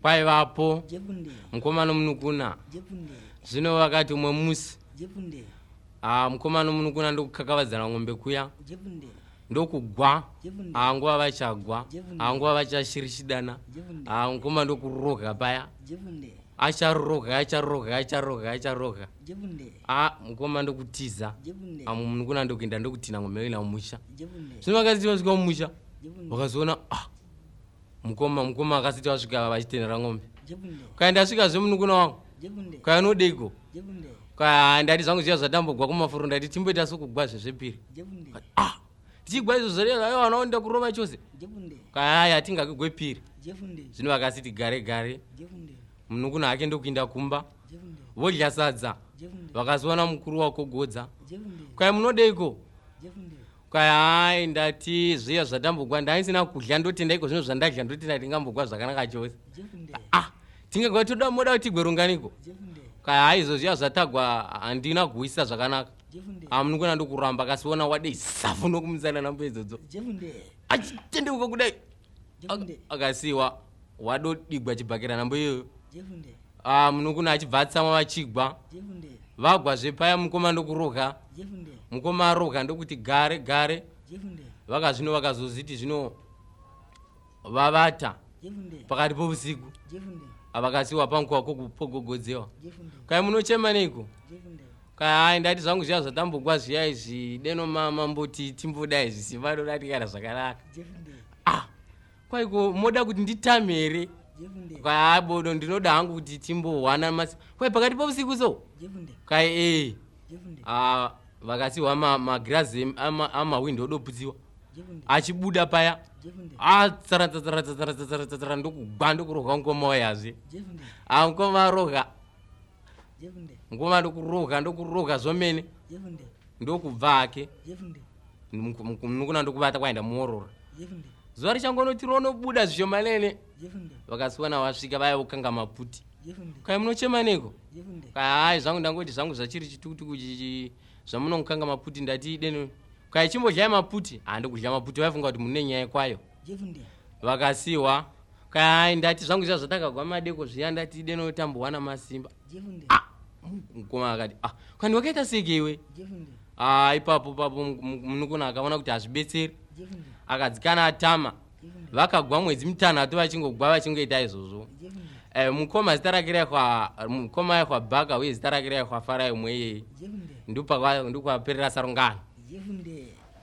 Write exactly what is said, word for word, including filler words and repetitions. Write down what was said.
Kwaivapo Jefunde. mukoma nomunukuna. Jefunde. Zvino vakati umwe musi, Jefunde. ah, mukoma nomunukuna ndokukakavadzana ng'ombe kuya, Jefunde. ndokugwa. Jefunde. Ah, nguva vachagwa, Jefunde. ah, nguva vachashirishidana, Jefunde. ah, mukoma ndokuroga paya. Jefunde. Acharoga, acharoga, acharoga, acharoga. Jefunde. A mukoma ndokutiza. Jefunde. Ah, munukuna ndokuenda, ndokutina ng'ombe ina mumusha. Jefunde. Zvino vakasiti vasvika mumusha, Jefunde. vakazoona, ah, mukoma mukoma akasiti vasvika vachitenera ng'ombe. Jefunde. Kaenda asvikazve munukuna wangu. Jefunde. Kayanodeiko? Jefunde. Kaya ndati zvangu zviya zvatambogwa kumafuro, ndati timboita sokugwa zvezvepiri. Jefunde. Ah, tichigwa izvo zvareva vanaonda kurova chose. Jefunde. Kaya hatingakigwe piri. Jefunde. Zvino vakasiti gare gare, Jefunde. munukuna hake ndokuinda kumba, Jefunde. vodya sadza. Jefunde. Vakazoona mukuru wakogodza. Jefunde. Kaya munodeiko? Jefunde. Kaya hai, ndati zviya zvatambogwa ndaisina kudya, ndotenda iko zvino zvandadya, ndotenda tingambogwa zvakanaka chose. Jefunde. Ah, tingagwa toda, moda kuti tigwe runganiko? Jefunde. Kaya hai, izvo zviya zvatagwa handina kuwisisa zvakanaka. Jefunde. Amunukuna ndokuramba, akasiona wadei safu nokumusana nambo idzodzo. Jefunde. Achitendeuka kudai, Jefunde. akasiwa wadodigwa chibhakera nambo iyoyo. Jefunde. Ah, munukuna achibva atsamwa, vachigwa. Jefunde. Vagwa zvepaya, mukoma ndokuroga. Jefunde. Mukoma aroga, ndokuti gare gare. Jefunde. Vakazvino vakazoziti zvino vavata Jefunde. pakati pousiku, Jefunde. avakasiwa panguva pogogodzewa. Jefunde. Kai munochema neiko? Jefunde. Kai hai, ndati zvangu zviya zvatambogwa zviya izvi, deno mamboti timbodai zvisimba dodatikana zvakanaka. Jefunde. Ah, kwaiko moda kuti nditame here? Jefunde. Kai hai bodo, ndinoda hangu kuti timbohwana masi, kwai pakati pousiku so. Jefunde. Kai ee. Jefunde. Ah, vakasiwa magirazi amahwindo odoputsiwa. Jefunde. Achibuda paya, Jefunde. atsaratsatsaratsaratsaratsatsara, ndokugwa, ndokurohwa mukoma wayazve. Jefunde. Ah, mukoma aroga. Jefunde. Mukoma ndokuroga, ndokuroga zvomene. Jefunde. Ndokubva hake. Jefunde. Munukuna ndokubata, kwaenda muorora. Jefunde. Zuva richangonoti ronobuda zvishomanene, Jefunde. vakasiwana vasvika vaya vokanga maputi. Jefunde. Kai munochema neko? Jefunde. Kai hai zvangu, ndangoti zvangu zvachiri chitukutuku chichi zvamunongokanga maputi, ndati deno kai chimbodyai maputi. Handikudya maputi, vaifunga kuti mune nyaya kwayo. Jefunde. Vakasiwa kai, ndati zvangu zviya zvatakagwa madeko zviya, ndati deno tambowana masimba. Jefunde. Ah, mukoma akati, ah, kandi wakaita seke iwe? Jefunde. Ah, ipapo papo munukuna akaona kuti hazvibetseri, Jefunde. akadzikana atama. Jefunde. Vakagwa mwedzi mitanhatu vachingogwa, vachingoita izvozvo. Jefunde. Eh, mukoma zita rake raikwa, mukoma aikwa Bhaka, uye zita rake raikwa Farai umwe iyeye. Jefunde. Ndokwaperera sarungano. Jefunde.